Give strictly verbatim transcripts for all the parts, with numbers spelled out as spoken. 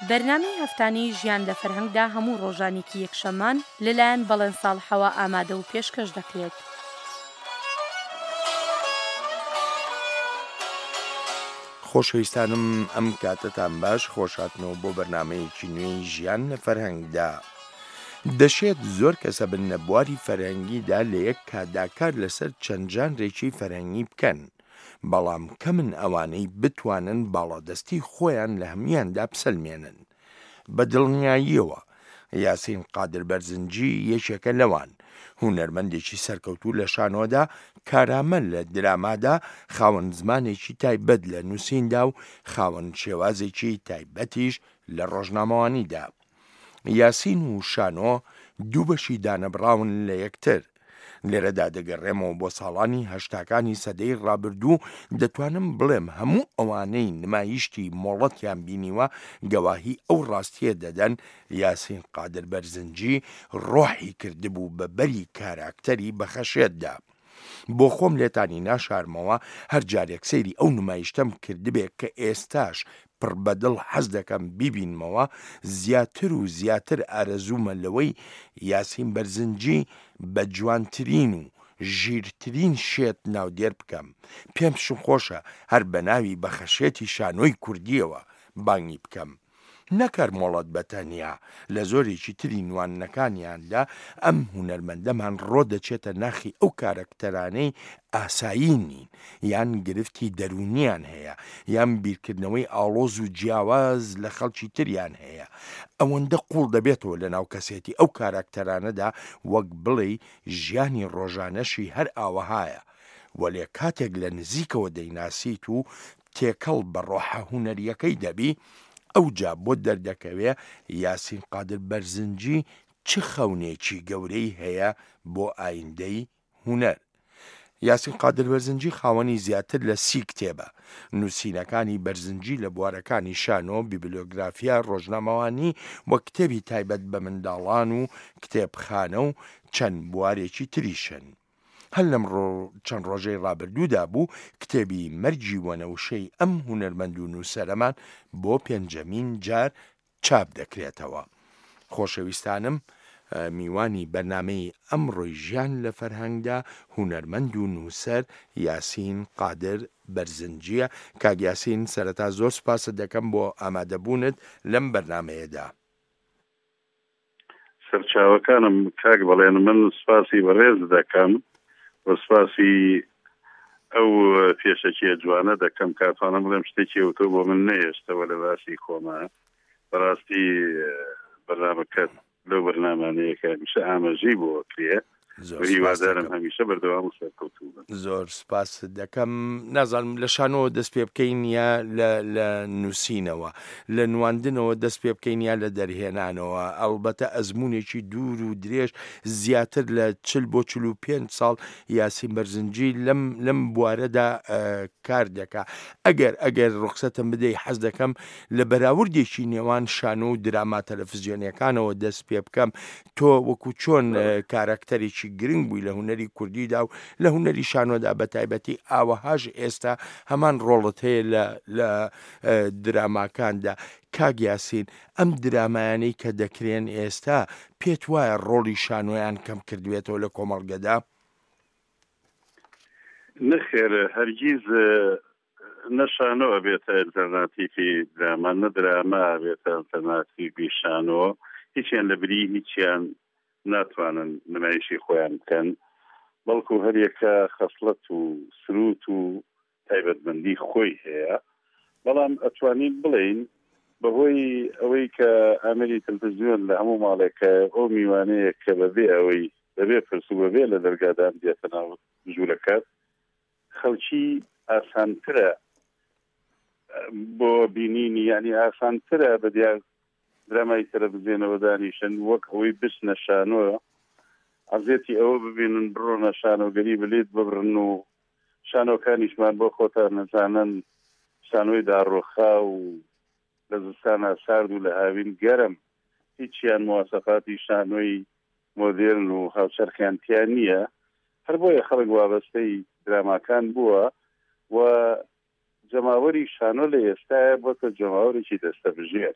بەرنامەی هەفتانەی ژیان لە فەرهەنگدا هەموو ڕۆژانێکی یەکشەممان لەلایەن بەڵێن ساڵحەوە ئامادە و پێشکەش دەکرێت. خۆشەویستانم ئەم کاتەتان باش، خۆشهاتنەوە بۆ بەرنامەیەکی نوێی ژیان لە فەرهەنگدا. دەشێت زۆر کەسە بن لە بواری فەرهەنگیدا لە یەک کاتدا کار لەسەر چەند ژانرێکی فەرهەنگی بکەن، بەڵام کەمن ئەوانەی بتوانن باڵادەستی خۆیان لە هەمویاندا بسەلمێنن. بە دڵنیاییەوە یاسین قادر بەرزنجی یەکێکە لەوان، هونەرمەندێکی سەرکەوتوو لە شانۆدا، کارامە لە درامادا، خاوەن زمانێکی تایبەت لە نووسیندا و خاوەن شێوازێکی تایبەتیش لە ڕۆژنامەوانیدا. یاسین و شانۆ دوو بەشی دانەبڕاون لە یەکتر. لێرەدا دەگەڕێمەوە بۆ ساڵانی هەشتاکانی سەدەی ڕابردوو، دەتوانم بڵێم هەموو ئەوانەی نمایشتی مۆڵەتیان بینیوە گەواهی ئەو ڕاستیە دەدەن یاسین قادر بەرزنجی ڕۆحی کردبوو بە بەری کاراکتەری بەخەشێتدا. بۆ خۆم لێتانی ناشارمەوە هەر جارێک سەیری ئەو نمایشتەم کردبێ کە ئێستاش پڕ بەدڵ حەز دەکەم بیبینمەوە، زیاتر و زیاتر ئارەزوومە لەوەی یاسین بەرزنجی بە جوانترین و ژیرترین شێت ناودێر بکەم. پێم خۆشە هەر بە ناوی بەخەشێتی شانۆی کوردیەوە بانگی بکەم. نەکەر مۆڵەت بە تەنیا لە زۆرێکی تری نوانەکانیاندا ئەم هونەرمەندەمان ڕۆ دەچێتە ناخی ئەو کارەکتەرانەی ئاسایی نین، یان گرفتی دەروونیان هەیە، یان بیرکردنەوەی ئاڵۆز و جیاواز لە خەڵکی تریان هەیە. ئەوەندە قوڵ دەبێتەوە لە ناو کەسێتی ئەو کاراکتەرانەدا وەک بڵێی ژیانی ڕۆژانەشی هەر ئاوەهایە. وەلێ کاتێک لە نزیکەوە دەیناسیت و تێکەڵ بە ڕۆحە هونەریەکەی دەبی، ئەوجا بۆ دەردەکەوێ یاسین قادر بەرزنجی چ خەونێکی گەورەی هەیە بۆ ئایندەی هونەر. یاسین قادر بەرزنجی خاوەنی زیاتر لە سی کتێبە. نووسینەکانی بەرزنجی لە بوارەکانی شانۆ، بیبلیۆگرافیا، ڕۆژنامەوانی و کتێبی تایبەت بە منداڵان و کتێبخانە و چەند بوارێکی تریشن. هەر لەم چەند ڕۆژەی ڕابردوودا بوو کتێبی مەرگی وەنەوشەی ئەم هونەرمەند و نووسەرەمان بۆ پێنجەمین جار چاپ دەکرێتەوە. خۆشەویستانم، میوانی بەرنامەی ئەمڕۆی ژیان لە فەرهەنگدا هونەرمەند و نووسەر یاسین قادر بەرزنجیە. کاک یاسین، سەرەتا زۆر سوپاست دەکەم بۆ ئامادەبوونت لەم بەرنامەیەدا. سەرچاوەکانم کاک بەڵێن، من سوپاسی بەڕێز دەکەم و سوپاسی ئەو پێشەکیە جوانە دەکەم کاتوانم بڵێم شتێکی ئەوتۆ بۆ من نەهێشتەوە لە باسی خۆما. بەڕاستی بەرنامەکەت لەو بەرنامانەیە کە هەمیشە ئاماژەی بۆ کرێ، هیوادارم هەمیشە بەردەوام و سەرکەوتوو بن. زۆر سپاس دەکەم. نازانم لە شانۆوە دەست پێ بکەین یا لە نووسینەوە، لە نواندنەوە دەست پێ بکەین یا لە دەرهێنانەوە. ئەلبەتە ئەزمونێکی دوور و درێژ زیاتر لە چل بۆ چل و پێنج ساڵ یاسین بەرزنجی لەم لەم بوارەدا کار دەکا. ئەگەر ئەگەر ڕوخسەتم بدەی حەز دەکەم لە بەراوردێکی نێوان شانۆ و دراما تەلەفزیۆنیەکانەوە دەست پێ بکەم. تۆ وەکو چۆن کارەکتەرێکی گرنگ بووی لە هونەری کوردیدا و لە هونەری شانۆدا بە تایبەتی، ئاوەهاش ئێستا هەمان ڕۆڵت هەیە لە لە دراماکاندا. کاک یاسین، ئەم درامایانەی کە دەکرێن ئێستا پێت وایە ڕۆڵی شانۆیان کەم کردوێتەوە لە کۆمەڵگەدا؟ نەخێر، هەرگیز نە شانۆ ئەبێتە ئەلتەرناتیفی دراما، نە دراما ئەبێتە ئەلتەرناتیفی شانۆ. هیچیان لە بری هیچیان ناتوانن نمایشی خۆیان بکەن، بەڵکو هەریەکە خەسڵەت و سروت و تایبەتمەندی خۆی هەیە. بەڵام ئەتوانین بڵێین بەهۆی ئەوەی کە ئامێری تەلەڤیزیۆن لە هەموو ماڵێکە، ئەو میوانەیە کە بەبێ ئەوەی بەبێ پرس و بەبێ لە دەرگادان دێتە ناو ژوورەکەت، خەڵکی ئاسانترە بۆ بینینی، یعنی ئاسانترە بە دیار درامای تەلەڤیزیۆنەوە دانیشن وەک ئەوەی بچنە شانۆ، عەزێتی ئەوە ببینن بڕۆنە شانۆگەری بلیت ببڕن و شانۆکانیشمان بۆ خۆتان نەزانن شانۆی داڕۆخا و لە زستانە سارد و لە هاوین گەرم، هیچیان مواسەفاتی شانۆی مۆدێرن و هاوچەرخیان تیا نییە. هەر بۆیە خەڵک وابەستەی دراماکان بووە و جەماوەری شانۆ لە ئێستاە بۆتە جەماوەرێکی دەستەبژێر.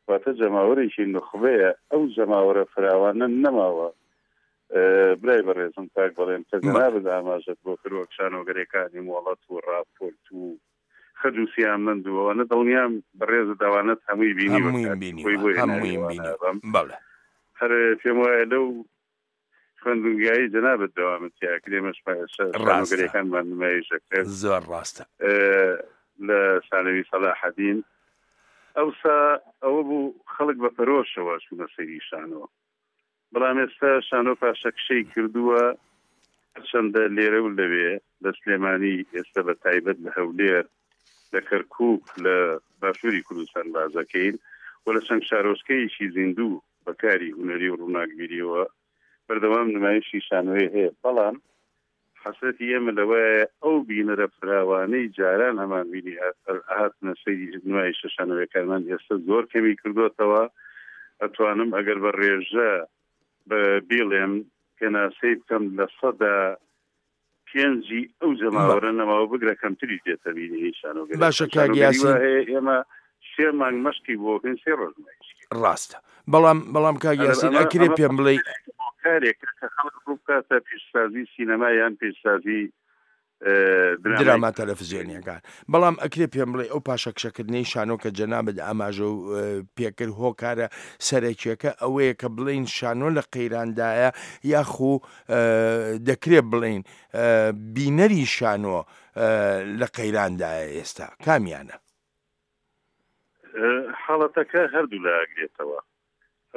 واتە جەماوەرێکی نوخبەیە، ئەو جەماوەرە فراوانە نەماوە. برای بەڕێزم کاک بەڵێن کە جەنابت ئاماژەت بۆ کرد وەک شانۆگەرەکانی مۆڵەت و ڕاپۆرت و خەج و سیامەند و ئەوانە، دڵنیام بەڕێزت ئەوانەت هەمووی بینیوە، خۆی بۆ هێناوە. بەڵێ هەر پێم وایە لەو خوێندنگایی جەنابت دەوامت تیا کرد، ئێمەش شانۆگەرەکانمان نمایش دەکرد. زۆر ڕاستە. لە شانەوی سەلاحەدین ئەوسا ئەوە بوو خەڵک بە پەرۆشەوە چوونە سەیری شانۆ، بەڵام ئێستا شانۆ پاشەکشەی کردووە. هەرچەندە لێرە و لەوێ لە سلێمانی، ئێستا بە تایبەت لە هەولێر، لە کەرکووک، لە باشووری کوردستان بازەکەین و لە چەند شارۆچکەیەکی زیندوو بەکاری هونەری و ڕووناکبیریەوە بەردەوام نمایشی شانۆیە هەیە. بەڵام حەسرەتی ئێمە لەوەیە ئەو بینەرە فراوانەی جاران هەمان بینی هاتنە سەیری نمایشە شانۆیەکانمان ئێستا زۆر کەمی کردوتەوە. ئەتوانم ئەگەر بە ڕێژە بە بیڵێم پێناسەی بکەم لە سەدا پێنجی ئەو جەماوەرە نەماوە، بگرە کەمتریش دێتە بینی شانۆگەری. باشە کاک یاسین، هەیە ئێمە سێ مانگ مەشقی بۆکەین، سێ ڕۆژ نمایش. ڕاستە، بەڵام بەڵام کاک یاسین ئەکرێ پێم بڵێ کارێک کە خەڵک ڕوو بکاتە پیشسازی سینەما یان پیشسازی دراما تەلەفزیۆنیەکان، بەڵام ئەکرێ پێم بڵێ ئەو پاشەکشەکردنەی شانۆ کە جەنابت ئاماژە پێکرد هۆکارە سەرەکیەکە ئەوەیە کە بڵین شانۆ لە قەیراندایە، یاخو دەکرێت بڵین بینەری شانۆ لە قەیراندایە ئێستا؟ کامیانە؟ حاڵەتەکە هەردوو لاگرێتەوە.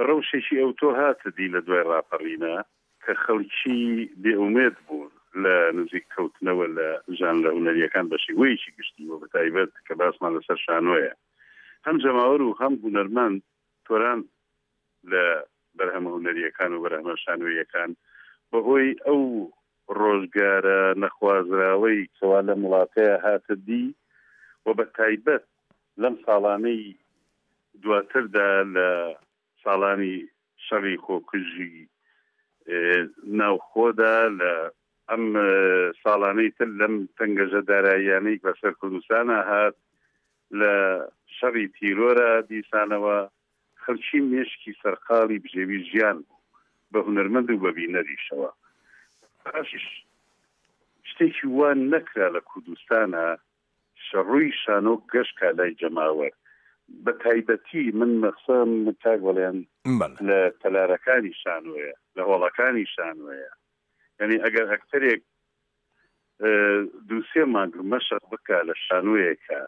ڕەوشێکی ئەو تۆ هاتە دی لە دوای ڕاپەڕینە کە خەڵکی بێئومێد بوون لە نزیک کەوتنەوە لە ژانرە هونەریەکان بە شێوەیەکی گشتی و بەتایبەت کە باسمان لەسەر شانۆیە. هەم جەماوەر و هەم هونەرمەند تۆران لە بەرهەمە هونەریەکان و بەرهەمە شانۆیەکان بەهۆی ئەو ڕۆژگارە نەخوازراوەی کەوا لەم وڵاتەیە هاتە دی و بە تایبەت لەم ساڵانەی دواتردا لە ساڵانی شەڕی خۆکوژی ناوخۆدا، لە ئەم ساڵانەی تر لەم تەنگەژە داراییانەی بەسەر کوردستانە هات، لە شەڕی تیرۆرە دیسانەوە خەڵکی مێشکی سەرقاڵی بژێوی ژیان بوو بە هونەرمەند و بە بینەریشەوە. پاشیش شتێکی وان نەکرا لە کوردستانە شەڕووی شانۆ گەشتکا لای جەماوەر. بە تایبەتی من مەخسەم کاک بەڵێن لە تەلارەکانی شانۆیە، لە هۆڵەکانی شانۆیە. یعنی ئەگەر ئەکتەرێک دوو سێ مانگ مەشق بکە لە شانۆیەکە،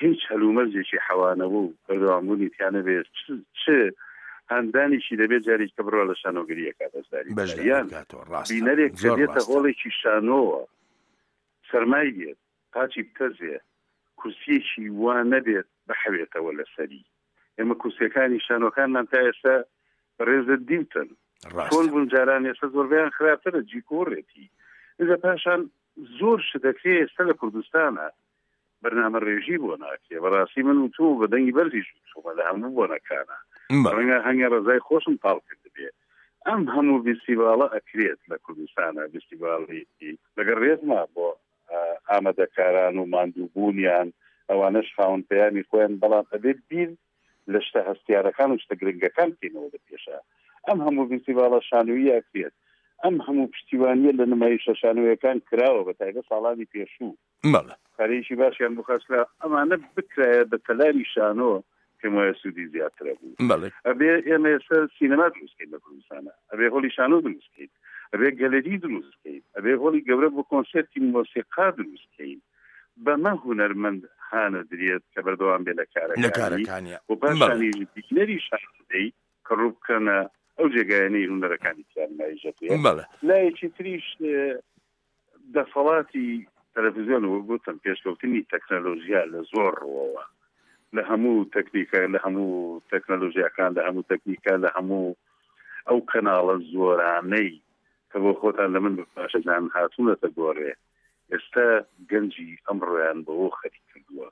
هیچ هەلومەرجێکی حەوانەوە و بەردەوامبوونی تیانە بێت، چ هەندانێکی دەبێت جارێک کە بڕوا لە شانۆگەریەکە بەشداری بینەرێک کە دێتە هۆڵێکی شانۆوە سەرمای بێت، قاچی بتەزێ، کورسیەکی وا نەبێت بەحەوێتەوە لەسەری. ئێمە کورسیەکانی شانۆکانمان تا ئێستا بەڕێزت دیوتن چۆن بوون جاران، ئێستا زۆربەیان خراپترە، جیکۆڕێتی. ئینجا پاشان زۆر شت دەکرێ ئێستا لە کوردستانە بەرنامە ڕێژی بۆ ناکرێ. بەڕاستی من و تۆ بە دەنگی بەرزیش وتومە لە هەموو بۆنەکانە، ڕەنگە هەنگە ڕەزای خۆشم پاڵ کردبێ. ئەم هەموو فیستیڤاڵە ئەکرێت لە کوردستانە، فیستیڤاڵی لەگەڵ ڕێزما بۆ ئامادەکاران و ماندووبوونیان، ئەوانەش خاوەن پەیامی خۆیان، بەڵام ئەبێ بیر لە شتە هەستیارەکان و شتە گرنگەکان بکەینەوە لە پێشە. ئەم هەموو فیستیڤاڵە شانۆیی ئەکرێت، ئەم هەموو پشتیوانیە لە نمایشە شانۆیەکان کراوە بە تایبەت ساڵانی پێشوو، کارێکی باشیان بۆ خەرجکرا. ئەمانە بکرایە بە تەلاری شانۆ پێم وایە سوودی زیاترە بوو. ئەبێ ئێمە ئێستا سینەما دروستکەین لە کوردستانە، ئەبێ هۆڵی شانۆ دروستکەین، ئەبێ گەلەری دروستکەین، ئەبێ هۆڵی گەورە بۆ کۆنسێرتی مۆسیقا دروستکەین. بەمە هونەرمەند هانە درێت کە بەردەوام بێ لە کارەکانی و پاشانیش بینەری شانۆی کە ڕوو بکەنە ئەو جێگایانەی هونەرەکانی تیان نمایشەکرێت. لایەکی تریش دەسەڵاتی تەلەڤیزیۆن و گوتم پێشکەوتنی تەکنەلۆژیا لە زۆر ڕووەوە، لە هەموو تەکنیکە، لە هەموو تەکنەلۆژیاکان، لە هەموو تەکنیکە، لە هەموو ئەو کەناڵە زۆرانەی کە بۆ خۆتان لە من باشەزان هاتوونەتە گۆڕێ، ئێستا گەنجی ئەمڕۆیان بەوە خەریک کردووە.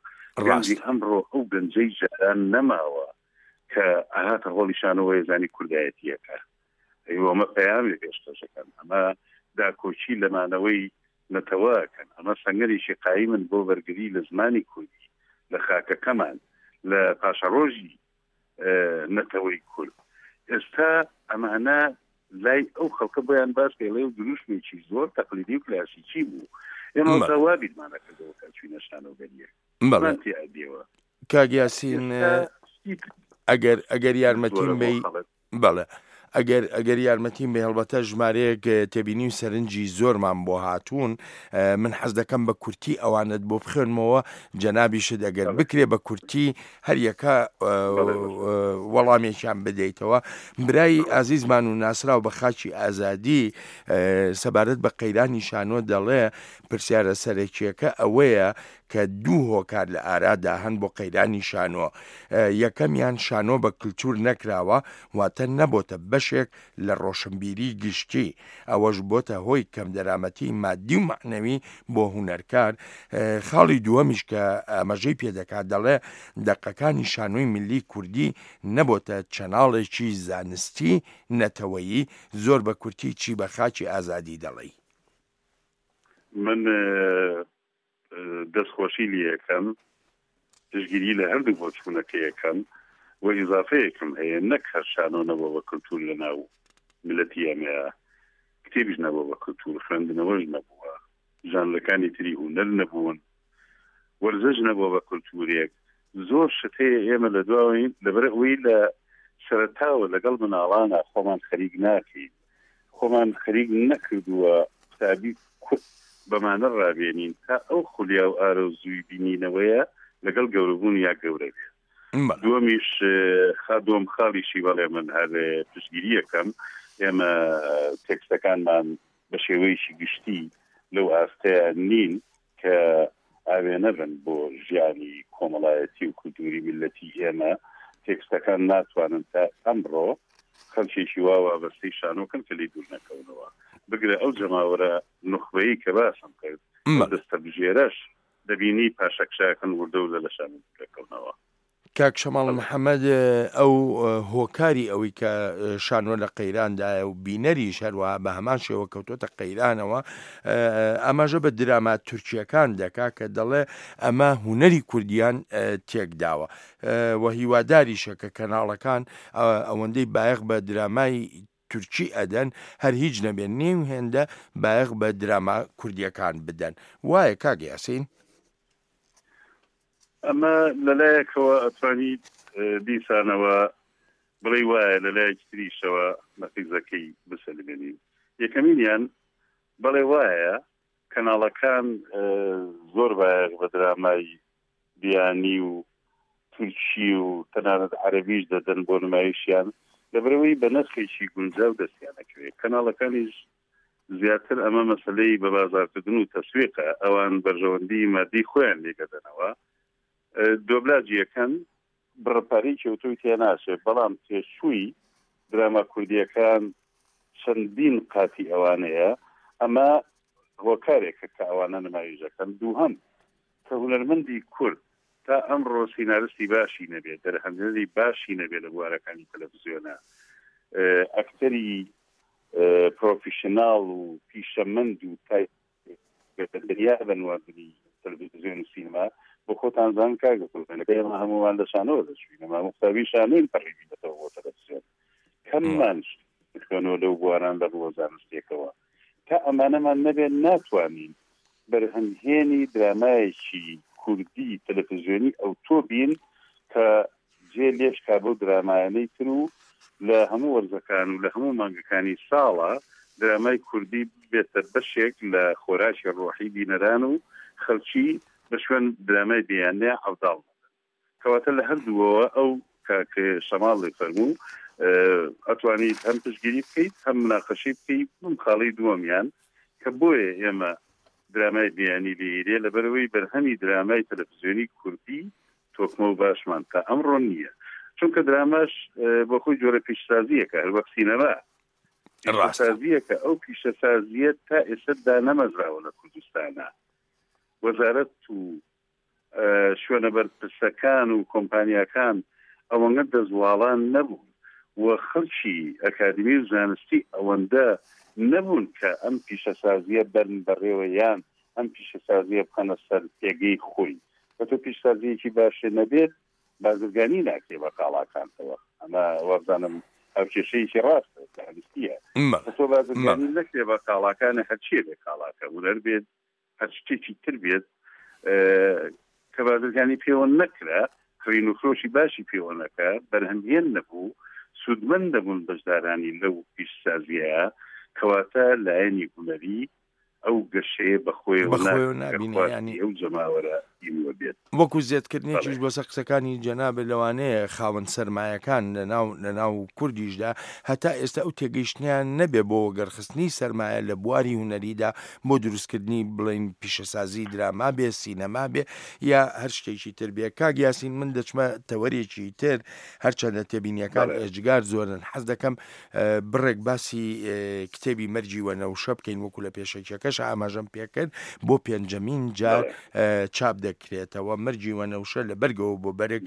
گەنجی ئەمڕۆ ئەو گەنجەی جاران نەماوە کە ئاهاتە هۆڵی شانەوەی زانی کوردایەتیەکە. ئەمە پەیامی پێشکەشەکەن، ئەمە داکۆکی لەمانەوەی نەتەوەکەن، ئەمە سەنگەرێکی قایمن بۆ بەرگری لە زمانی کوردی، لە خاکەکەمان، لە پاشەڕۆژی نەتەوەی کورد. ئێستا ئەمانە لای ئەو خەڵکە بۆیان باس پێڵێ و دروشمێکی زۆر تەقلیدی و کلاسیکی بوو. ئێمە وا بیرمانە کردەوە کە چوینە شانۆگەریەک. بەڵێ کاک یاسین، ئەگەر ئەگەر یارمەتیم بەی، بەڵێ ئەگەر ئەگەر یارمەتیم بێ، هەڵبەتە ژمارەیەک تێبینی و سەرنجی زۆرمان بۆ هاتوون، من حەز دەکەم بە کورتی ئەوانت بۆ بخوێنمەوە، جەنابیشت ئەگەر بکرێ بە کورتی هەریەکە وەڵامێکیان بدەیتەوە. برای ئازیزمان و ناسراو بە خاکی ئازادی سەبارەت بە قەیرانی شانۆ دەڵێ پرسیارە سەرەکیەکە ئەوەیە کە دوو هۆکار لە ئارادا هەن بۆ قەیرانی شانۆ. یەکەمیان شانۆ بە کلتور نەکراوە، واتە نەبۆتە بەشێک لە ڕۆشنبیری گشتی، ئەوەش بۆتە هۆی کەمدەرامەتی مادی و مەعنەوی بۆ هونەرکار. خاڵی دووەمیش کە ئاماژەی پێدەکات دەڵێ دەقەکانی شانۆی ملی کوردی نەبۆتە چەناڵێکی زانستی نەتەوەیی. زۆر بە کورتی چی بە خاکی ئازادی دەڵێی؟ من دەستخۆشی لێ یەکەم، پشتگیری لە هەردوو بۆچوونەکە یەکەم و ئیزافەیەکم هەیە، نەک هەر شانۆ نەبووە بە کلتور لە ناو ملەتی ئەمەیە، کتێبیش نەبووە بە کلتور، خوێندنەوەش نەبووە، ژانرەکانی تری هونەر نەبوون، وەرزش نەبووە بە کلتورێک. زۆر شت هەیە ئێمە لە دواوەین، لەبەر ئەوەی لە سەرەتاوە لەگەڵ مناڵانە خۆمان خەریک ناکەین، خۆمان خەریک نەکردووە قوتابی کورد بەمانە ڕابێنین تا ئەو خولیا و ئارەزووی بینینەوەیە لەگەڵ گەورەبوون یا گەورە بێت. دووەمیش دووەم خاڵیشی بەڵێ من هەر پشتگیریەکەم، ئێمە تێکستەکانمان بە شێوەیەکی گشتی لەو ئاستەیە نین کە ئاوێنە بن بۆ ژیانی کۆمەڵایەتی و کولتوری میللەتی ئێمە. تێکستەکان ناتوانن تا ئەمڕۆ خەڵکێکی وا وابەستەی شانۆکەن کە لێی دوور نەکەونەوە. بگرە ئەو جەماوەرە نوخبەیی کە باسم کرد دەستەبژێرەش دەبینی پاشەکشاکەن وردە وردە لە شانۆ دوور دەکەونەوە. کاک شەماڵ محەممەد، ئەو هۆکاری ئەوەی کە شانۆ لە قەیراندایە و بینەریش هەروەها بە هەمان شێوە کەوتۆتە قەیرانەوە، ئاماژە بە دراما تورکیەکان دەکا کە دەڵێ ئەمە هونەری کوردیان تێکداوە و هیواداریشە کە کەناڵەکان ئەوەندەی بایەخ بە درامای تورکی ئەدەن هەر هیچ نەبێن نیو هێندە بایەخ بە دراما کوردیەکان بدەن. وایە کاک یاسین؟ ئەمە لەلایەکەوە ئەتوانیت دیسانەوە بڵێ وایە، لەلایەکی تریشەوە نەقیزەکەی بسەلمێنین. یەکەمینیان بەڵێ وایە کەناڵەکان زۆر بایەخ بە درامای بیانی و تورکی و تەنانەت عەرەبیش دەدەن بۆ نمایشیان، لەبەرەوەی بە نرخێکی گونجاو دەستیانەکەوێت. کەناڵەکانیش زیاتر ئەمە مەسلەی بە بازارکردن و تەسویقە، ئەوان بەرژەوەندی مادی خۆیان لێگەدەنەوە، دۆبلاجیەکەن بڕپارەی کێوتۆی تێناچێت، بەڵام تێچووی دراما کوردیەکان چەندین قاتی ئەوانەیە. ئەمە هۆکارێکە کە ئەوانە نمایش دەکەن. دووهەم کە هونەرمەندی کورد تا ئەمڕۆ سیناریستی باشی نەبێت، دەرهەنگەری باشی نەبێت لە بوارەکانی تەلەڤزیۆنە، ئەکتەری پرۆفیشناڵ و پیشەمەند و تای دنیا بە نواندنی تەلەڤزیۆن و سینەما بۆ خۆتان زان کاک دەکەن. ئێمە هەموومان لە شانۆوە دەچووین، ئەمە قوتابی شانۆین پەڕیبینەتەوە بۆ تەلەڤزیۆن، کەممان خوێنەوە لەو بواران لە ڕووە زانستیەکەوە. تا ئەمانەمان نەبێت ناتوانین بەرهەمهێنی درامایەکی کوردی تەلەڤزیۆنی ئەوتۆ بین کە جێ لێشکا بەو درامایانەی تر و لە هەموو وەرزەکان و لە هەموو مانگەکانی ساڵە درامای کوردی بێتە بەشێک لە خۆراکی ڕۆحی بینەران و خەڵکی بە شوێن درامای بیانیە عەوداڵ نەبن. کەواتە لە هەردووەوە ئەو کاک شەماڵی فەرموو ئەتوانیت هەم پشتگیری بکەیت هەم مناقەشەی بکەیت. بم خاڵی دووەمیان کە بۆیە ئێمە درامای بیانی لێرێ لەبەرەوەی بەرهەمی درامای تەلەڤزیۆنی کوردی تۆکمە و باشمان تا ئەمڕۆ نییە، چونکە دراماش بۆ خۆی جۆرە پیشسازیەکە هەر وەک سینەما پیشەسازیەکە، ئەو پیشەسازیە تا ئێستا دانەمەزراوە لە کوردستانە. وەزارەت و شوێنە بەرپرسەکان و کۆمپانیاکان ئەوەنگە دەستواڵان نەبوون و خەڵکی ئەکادمی و زانستی ئەوەندە نەبوون کە ئەم پیشەسازیە بەرن بەڕێوە یان ئەم پیشەسازیە بخەنە سەر پێگەی خۆی. کە تۆ پیشسازیەکی باشێ نەبێت بازرگانی ناکرێ بە کاڵاکانتەوە. ئەمە وابزانم ئەو کێشەیەکی ڕاستە، زانستییە. تۆ بازرگانی نەکرێ بە کاڵاکانە، هەرچیە بێ کاڵاکە هونەر بێت هەر شتێکی تر بێت کە بازرگانی پێوە نەکرا، کڕین و فرۆشی باشی پێوە نەکا، بەرهەمهێن نەبوو، سوودمەند دەبوون بەشدارانی لەو پیشسازیە، کەواتە لایەنی هونەری ئەو گەشەیە بەخۆیەوە نابینێ ئەو جەماوەرە ئیوە بێت. وەکو زیادکردنێکیش بەسەر قسەکانی جەنابێ لەوانەیە خاوەن سەرمایەکان لەناو لەناو کوردیشدا هەتا ئێستا ئەو تێگەیشتنیان نەبێ بۆ وەگەرخستنی سەرمایە لە بواری هونەریدا بۆ دروستکردنی بڵین پیشەسازی دراما بێ، سینەما بێ یا هەر شتێکی تر بێ. کاک یاسین من دەچمە تەوەرێکی تر، هەرچەندە تێبینیەکان ئێجگار زۆرن، حەز دەکەم بڕێک باسی کتێبی مەرگی وەنەوشە بکەین وەکو لە پێشەکیەکەش ئاماژەم پێکرد بۆ پێنجەمین جار چاپ دەکرێتەوە. مەرگی وەنەوشە لە بەرگەوە بۆ بەرگ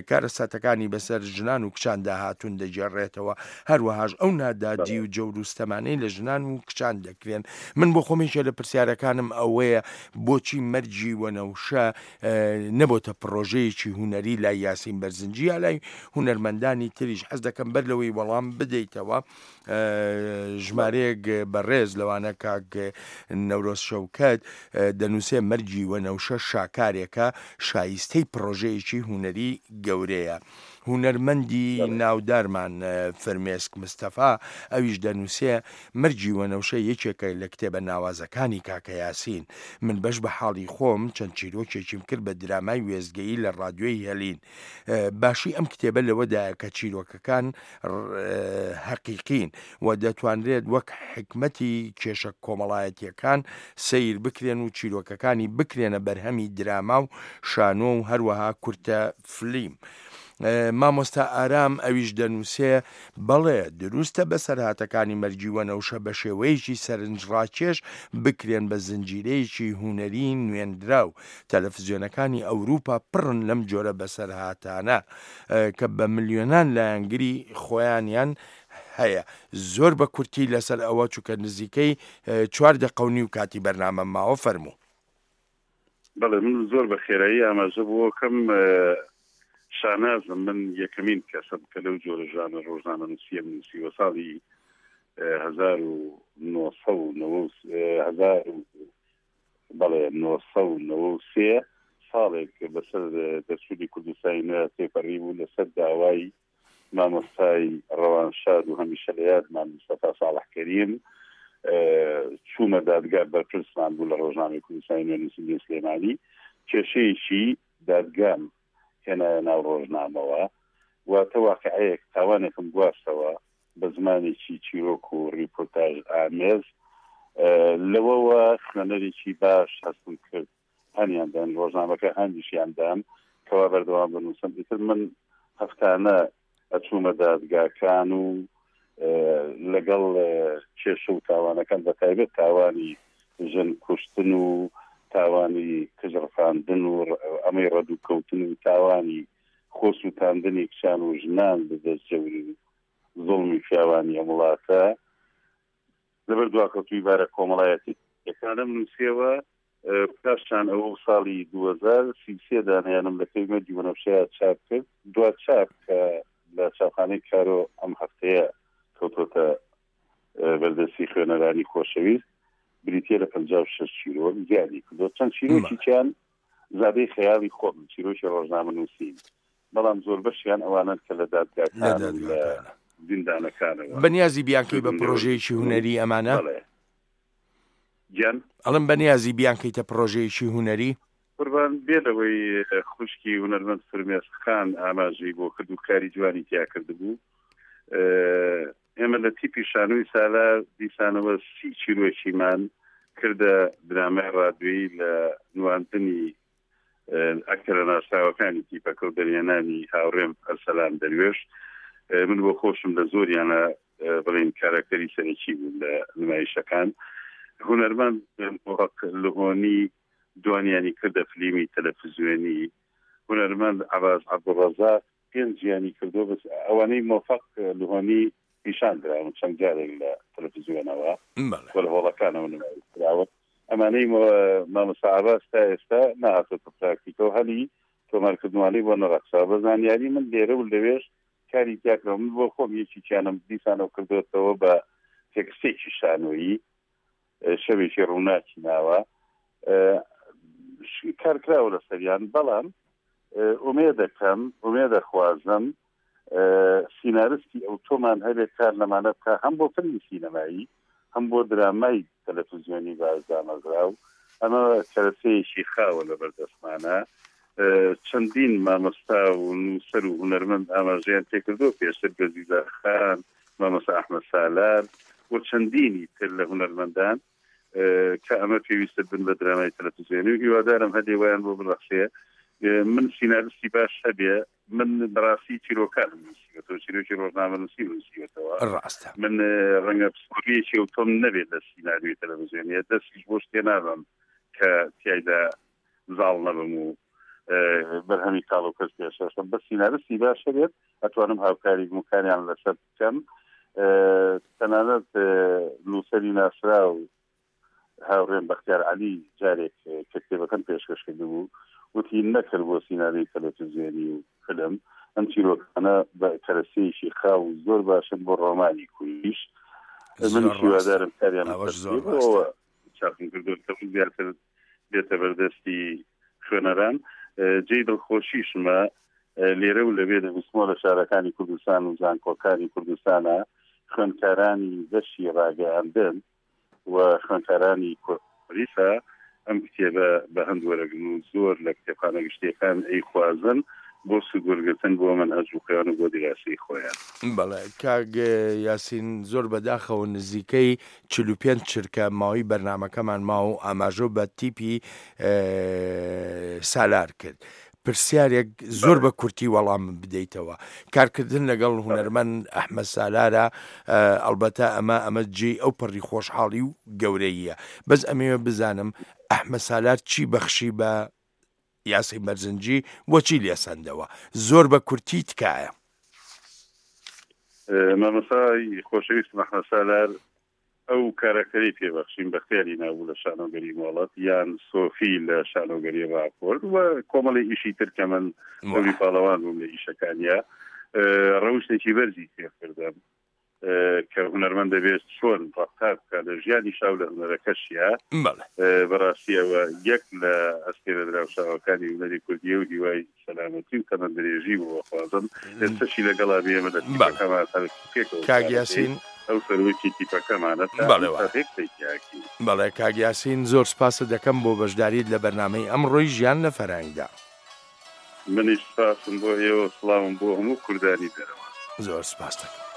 کارەساتەکانی بەسەر ژنان و کچان داهاتوون دەگێڕێتەوە، هەروەهاش ئەو نادادی و جەور و ستەمانەی لە ژنان و کچان دەکرێن. من بۆ خۆمێکە لە پرسیارەکانم ئەوەیە بۆچی مەرگی وەنەوشە نەبۆتە پرۆژەیەکی هونەری لای یاسین بەرزنجی یا لای هونەرمەندانی تریش؟ حەز دەکەم بەر لەوەی وەڵام بدەیتەوە ژمارەیەک بەڕێز لەوانە کاک نەورۆز شەوکەت دەنووسێ مەرگی وەنەوشە شاکارێکە شایستەی پرۆژەیەکی هونەری گەورەیە. هونەرمەندی ناودارمان فرمێسک مستەفا ئەویش دەنووسێ مەرگی وەنەوشە یەکێکە لە کتێبە ناوازەکانی کاکە یاسین. من بەش بە حاڵی خۆم چەند چیرۆکێکیم کرد بە درامای وێزگەیی لە ڕادیۆی هێلین. باشی ئەم کتێبە لەوەدایە کە چیرۆکەکان حەقیقین و دەتوانرێت وەک حکمەتی کێشە کۆمەڵایەتیەکان سەیر بکرێن و چیرۆکەکانی بکرێنە بەرهەمی دراما و شانۆ و هەروەها کورتە فلیم. مامۆستا ئارام ئەویش دەنووسێ بەڵێ دروستە بەسەرهاتەکانی مەرگی وەنەوشە بە شێوەیەکی سەرنجڕاکێش بکرێن بە زنجیرەیەکی هونەری نوێندراو. تەلەفزیۆنەکانی ئەوروپا پڕن لەم جۆرە بەسەرهاتانە کە بە ملیۆنان لایەنگری خۆیانیان هەیە. زۆر بە کورتی لەسەر ئەوە چونکە نزیکەی چوار دەقە و نیو کاتی بەرنامە ماوە. فەرموو. بەڵێ من زۆر بە خێرایی ئاماژە بۆکەم. شانازم من یەکەمین کەسم کە لەو جۆرە ژانە ڕۆژنامەنووسیە نووسیوە. ساڵی هەزار و نۆسەد و هەزار و بەڵێ نۆسەد و نەوە و سێ ساڵێک بەسەر دەرچوونی کوردستانی نوێ تێپەڕی بوو لەسەر داوای مامۆستای ڕەوانشاد و هەمیشە لە یادمان مستەفا ساڵح کەریم چوومە دادگا، بەرپرسمان بوو لە ڕۆژنامەی کوردستانی نوێ نووسینگەی سلێمانی. کێشەیەکی دادگام هێنایە ناو ڕۆژنامەوە، واتە واقعەیەک تاوانێکم گواستەوە بە زمانێکی چیرۆک و ڕیپۆرتاژ ئامێز. لەوەوە خوێنەرێکی باش هەستم کرد، هەنیان دان ڕۆژنامەکە هەندیشیان دام کەوا بەردەوام بنووسم. ئیتر من هەفتانە ئەچوومە دادگاکان و لەگەڵ کێشە و تاوانەکان، بە تایبەت تاوانی ژن کوشتن و تاوانی کژڕفاندن و ئەمەی ڕەدوکەوتن و تاوانی خۆسووتاندنی کچان و ژنان بەدەست جەوری و زوڵمی پیاوانی ئەم وڵاتە لەبەر دواکەوتووی بارە کۆمەڵایەتی یەکانم نووسیەوە. پاشان ئەوە ساڵی دوو هەزار سی و سێ دانیانم لە کەی مەرگی وەنەوشەیە چاپ کرد. دوا چاپ کە لە چاپخانەی کارۆ ئەم هەفتەیە کەوتۆتە بەردەستی خوێنەرانی خۆشەویست بریتیە لە پەنجا و شەش چیرۆک زیادی کردو. چەند چیرۆکیان زادەی خەیاڵی خۆم، چیرۆکی ڕۆژنامە نووسین، بەڵام زۆر بەشیان ئەوانن کە لە دادگاکان لە زیندانەکانەوە. بەنیازی بیانکەی بە پرۆژەیەکی هونەری ئەمانە؟ گیان ئەڵم بەنیازی بیانکەیتە پرۆژەیەکی هونەری؟ قوربان بێ لەوەی خوشکی هونەرمەند فرمێسک خان ئاماژەی بۆ کرد و کاری جوانی تیا کردبوو. ئێمە لە تیپی شانۆی سالار دیسانەوە سی چیرۆکیمان کردە درامای ڕادیۆیی لە نواندنی ئەکتەرە ناسراوەکانی تیپەکە و دەرهێنانی هاوڕێم ئەرسەلان دەروێش. من بۆ خۆشم لە زۆریانە بڵێن کاراکتەری سەرەکی بوون لە نمایشەکان. هونەرمەند مۆفەق لهۆنی دوانیانی کردە فلیمی تەلەفزیۆنی، هونەرمەند عەباس عەبدوڕەزاق پێنجیانی کردو، بەس ئەوانەی مۆفەق لهۆنی پیشان دراون چەند جارێک لە تەلەفزیۆنەوە و لە هۆڵەکانەوە نمایش کراون. ئەمانەی مامۆستا عەباس تا ئێستا نەهاتۆتە پراکتیکەوە، هەلی تۆمارکردنوانەی بۆ نەڕەخساوە. بە زانیاری من لێرە و لەوێش کاری تیاکراوە. من بۆ خۆم یەکێکیانم دیسانەوە کردوێتەوە بە تێکستێکی شانۆیی، شەوێکی ڕووناکی ناوە، کارکراوە لەسەریان. بەڵام ئومێدەکەم، ئومێدەخوازم سیناریستی ئەو تۆمان هەبێت کار لەمانە بکە، هەم بۆ فیلمی سینەمایی هەم بۆ درامای تەلەفزیۆنی باش دامەزراو. ئەمە کەرەسەیەکی خاوە لە بەردەستمانە. چەندین مامۆستا و نووسەر و هونەرمەند ئاماژەیان پێکردووە، پێشتر گەزیزە خان، مامۆستا ئەحمەد سالار و چەندینی تر لە هونەرمەندان کە ئەمە پێویستە بن بە درامای تەلەفزیۆنی و هیوادارم هەدێ وایان بۆ بڕەخسێ. من سیناریستی باش هەبێ، من بەڕاستی چیرۆکانم نووسیوەتەوە، چیرۆکی ڕۆژنامەنووسی نووسیوەتەوە. ڕاستە. من ڕەنگە پسپۆریەکی ئەوتۆم نەبێت لە سیناریۆی تەلەفزیۆنیە، دەستیش بۆ شتێ نابم کە تیایدا زاڵ نەبم و بەرهەمی کاڵ و کەس پێشەشم. بە سیناریستی باش هەبێت ئەتوانم هاوکاری بمکانیان لەسەر بکەم. تەنانەت نووسەری ناسراو هاوڕێم بەختیار عەلی جارێک کە کتێبەکەم پێشکەش کردبوو وتی نەکرد بۆ سیناریۆی تەلەفزیۆنی و فیلم، ئەم چیرۆکانە بە کەرەسەیەکی خاو و زۆر باشن بۆ ڕۆمانی کوردیش. من هیوادارم کاریان چاپم کردووە زیاتر بێتە بەردەستی خوێنەران. جێی دڵخۆشیشمە لێرە و لەوێ دەبیستمەوە لە شارەکانی کوردستان و زانکۆکانی کوردستانە خوێندکارانی بەشی ڕاگەیاندن و خوێندکارانی کوردیسا ئەم کتێبە بە هەند وەرەگرن و زۆر لە کتێبخانە گشتیەکان ئەیخوازن بۆ سوودوەرگرتن بۆ مەنهەج و خۆیان و بۆ دیراسی خۆیان. بەڵێ کاک یاسین، زۆر بەداخەوە نزیکەی چل و پێنج چرکە ماوەی بەرنامەکەمان ما و ئاماژە بە تیپی سالار کرد. پرسیارێک زۆر بە کورتی وەڵام بدەیتەوە. کارکردن لەگەڵ هونەرمەند ئەحمەد سالارە، ئەلبەتە ئەمە ئەمە جێی ئەو پەڕی خۆشحاڵی و گەورەیە. بەس ئەمەوێ بزانم ئەحمەد سالار چی بەخشی بە یاسین بەرزنجی بۆ چی لێسەندەوە؟ زۆر بە کورتی تکایە. مامۆستای خۆشەویستم ئەحمەد سالار ئەو کارەکتەری پێبەخشیم بەختیاری نابوو لە شانۆگەری مۆڵەت یان سۆفی لە شانۆگەری ڕاپۆرت و کۆمەڵی ئیشی تر کە من دەوری پاڵەوان بووم لە ئیشەکانیا، ڕەوشتێکی بەرزی فێرکردم کە هونەرمەند دەبێت چۆن ڕەفتار بکات لە ژیانی شاو لە هونەرەکەشیا. بەڕاستیەوە یەک لە ئەستێرە دراوشاوەکانی هونەری کوردیە و هیوای سەلامەتی و تەمەندرێژی بۆ بخوازم. ئێستاشی لەگەڵا بێمە لە تیپەکەمان پێکەوە کاک یاسین ئەو سەرۆکی تیپەکەمانە. بەڵێ کاک یاسین، زۆر سپاست دەکەم بۆ بەشداریت لە بەرنامەی ئەمڕۆی ژیان لە فەرهەنگدا. منیش سپاسم بۆ ئێوە، سڵاوم بۆ هەموو کوردانی دەرەوە. زۆر سپاس دەکەم.